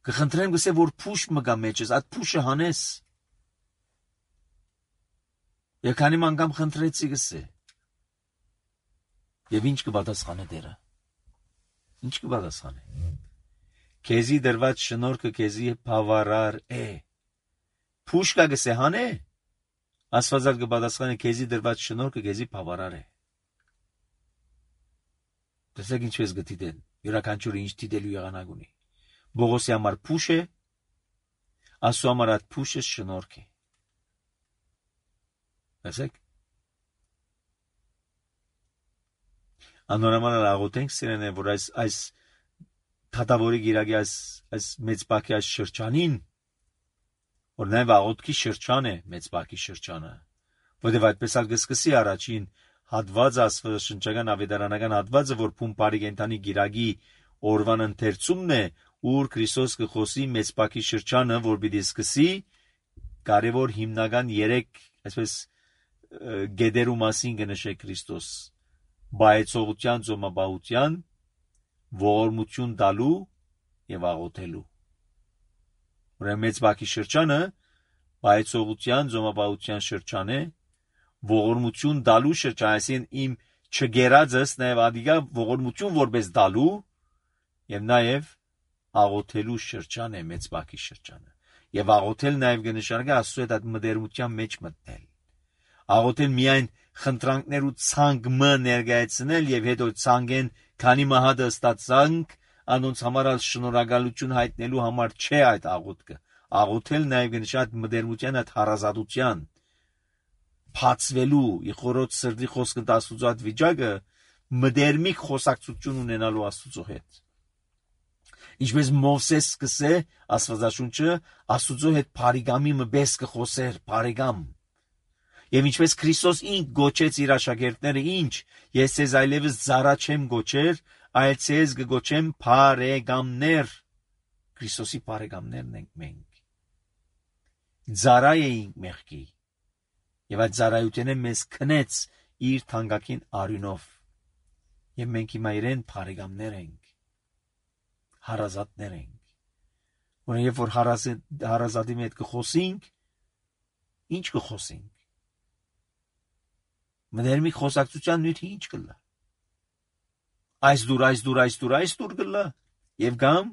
կխնդրեմ գսե, որ փուշ մգա մեջս, այդ փուշը հանես, և քանի մանգամ խնդրեցի գսե, և ինչ կպատասխանե դերը, ինչ կպատասխանե, քեզի դրված շնորհքը քեզի բավարար է, փուշ կա գսե հանե, Աստվածալ կպատասխանե քեզի դրված շնորհքը քեզի բավարար է, տեսեք ինչպես գտիտեն, յուրաքանչյուրը ինչ դիտելու եղանակ ունի, Բողոսի համար փուշ է, Աստծո համար այդ փուշը շնորհք է։ Տեսեք։ Անորոմանալ աղոթենք սիրենե, որ այս թադավորի գիրագի այս մեծ բակի այս շրջանին, որ նաև աղոթքի շրջան է մեծ բակի շրջանը, որտեղ այդպես ալ կսկսի առաջին հատվածը աստվածաշնչական ավետարանական հատվածը, որ փումպարի կենթանի գիրագի օրվան ընթերցումն է, ուր Քրիստոս կխոսի մեծ բակի շրջանը, որ պիտի սկսի կարևոր հիմնական 3 այսպես գեդերու մասին կնշե Քրիստոս բայեցողության, ծոմապահության, ողորմություն տալու եւ աղոթելու։ Ուրեմն մեծ բակի շրջանը բայեցողության, ծոմապահության շրջան է, ողորմություն տալու շրջան, այսինքն իմ չգերածս նաեւ ադիգա ողորմություն որպես տալու եւ նաեւ աղոթելու շրջան է մեծ բակի շրջանը։ Եվ աղոթել նաև կնշանակի Աստծո հետ այդ մտերմության մեջ մտնել։ Աղոթել միայն խնդրանքներ ու ցանկ ներկայացնել եւ հետո ցանկեն քանի մահադը ստացանք, անոնց համար շնորհակալություն հայտնելու համար չէ այդ աղոթքը։ Աղոթել նաև կնշանակի մտերմության այդ հարազատության փածվելու, իխորոց սրտի խոսքը Աստծո այդ վիճակը մտերմիկ խոսակցություն ունենալու Աստծո հետ։ Ինչպես Մովսես սկսե Աստվածաշունչը Աստուծո հետ բարեկամի մպես կխոսեր, բարեկամ։ Եվ ինչպես Քրիստոս ինք գոչեց իր աշակերտները, ինչ, ես ձեզ այլևս ծառա չեմ գոչեր, այլ ձեզ կգոչեմ բարեկամներ։ Քրիստոսի բարեկամներն ենք մենք։ Ծառա էինք մեղքի, եւ այդ ծառայությունը մեզ քնեց իր թանկագին արյունով, եւ մենք հիմա իրեն բարեկամներ ենք, հարազատներ ենք։ Որը երբ որ հարազատի հետ կխոսենք, ինչ կխոսենք։ Մտերմիկ խոսակցության նյութը ինչ կլա։ Այս դուր կլա, եւ կամ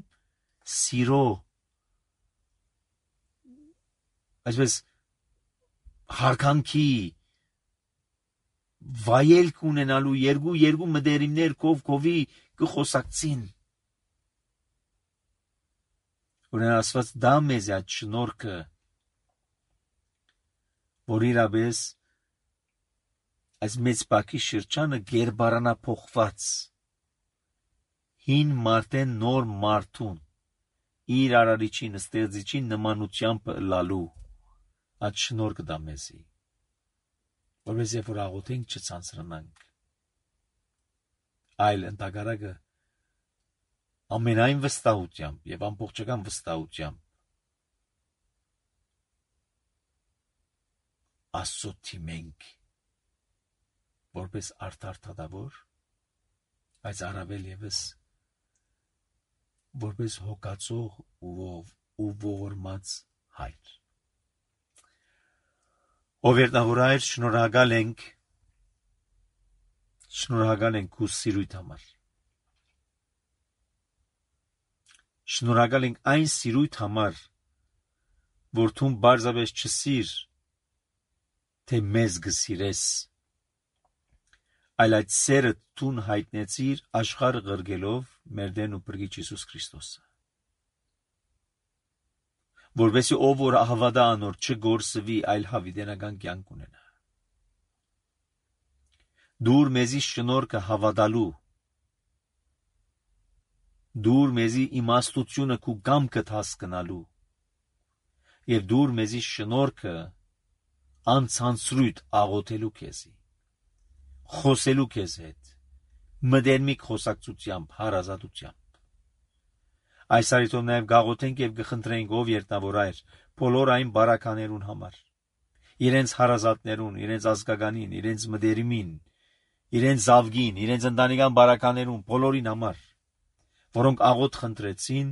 սիրո, այսպես հարկանքի, վայելք ունենալու երկու մտերիմներ կովի կխոսակցին։ Ուրեմն Աստված դա մեզ այդ շնորհքը, որ իրապես այս մեծ բակի շրջանը գերբարանափոխված հին մարդեն նոր մարդուն իր արարիչին ստեղծիչին նմանությամբ լալու այդ շնորհքը դա մեզի, որպես երբ որ աղոթենք չցանցրանանք, այլ ընդհակառակը ամենայն վստահությամբ եւ ամբողջական վստահությամբ Աստծո թիմենք, որպես արդար թադավոր, բայց առավել ևս որպես հոգացող ու ողորմած հայր։ Ով երնավորայր, շնորհակալ ենք քու սիրույթ համար։ Շնորհակալ ենք այն սիրույթ համար, որ դու բարձրապես չսիր, թե մեզ գսիրես, այլ այդ սերը դու հայտնեցիր աշխարհը ղրգելով մեր Տեր ու Փրկիչ Հիսուս Քրիստոսը, որովհետեւ ով որ հավատա անոր չգործվի, այլ հավիտենական կյանք ունենա։ Դուր մեզի շնորհքը հավատալու, դուր մեզի իմաստությունը քու կամքդ հասկանալու, եւ դուր մեզի շնորհքը անցանցրույթ աղոթելու քեզի, խոսելու քեզ հետ, մտերմիկ խոսակցությամբ, հարազատությամբ։ Այս արիթով նաև գաղոթենք եւ գխնդրենք ով երտնավորայր բոլոր այն բարականերուն համար, իրենց հարազատներուն, իրենց ազգականին, իրենց մտերիմին, իրենց զավգին, իրենց ընտանեկան բարականերուն, բոլորին համար, որոնք աղոթ խնդրեցին,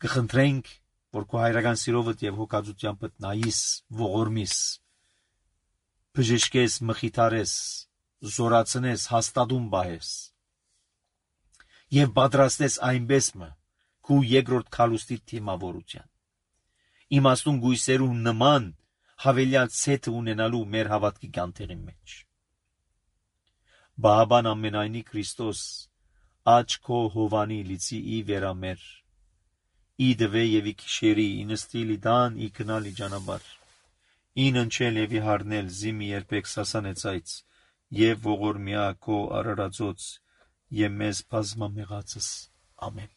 գխնդրենք, որ քո հայրական սիրովդ եւ հոգածությամբ նայիս, ողորմիս, բժշկես, մխիթարես, զորացնես, հաստատում բահես եւ պատրաստես այնպես քու երկրորդ քալուստի թիմավորության։ Իմաստուն գույսերու նման հավելյալ ցեթը ունենալու մեր հավատքի կանթեղի մեջ։ Բահաբան ամենայնի Քրիստոս աչ քո հովանի լիցի ի վերամեր, ի դվե եւ ի քիշերի, ի նստիլ ի դան, ի գնալ ի ճանապարհ, ի ննչել եւ ի հարնել, զիմի երբեք սասանեցայց, եւ ողորմյա քո արարածոց, եւ մեզ բազմամեղածս, ամեն։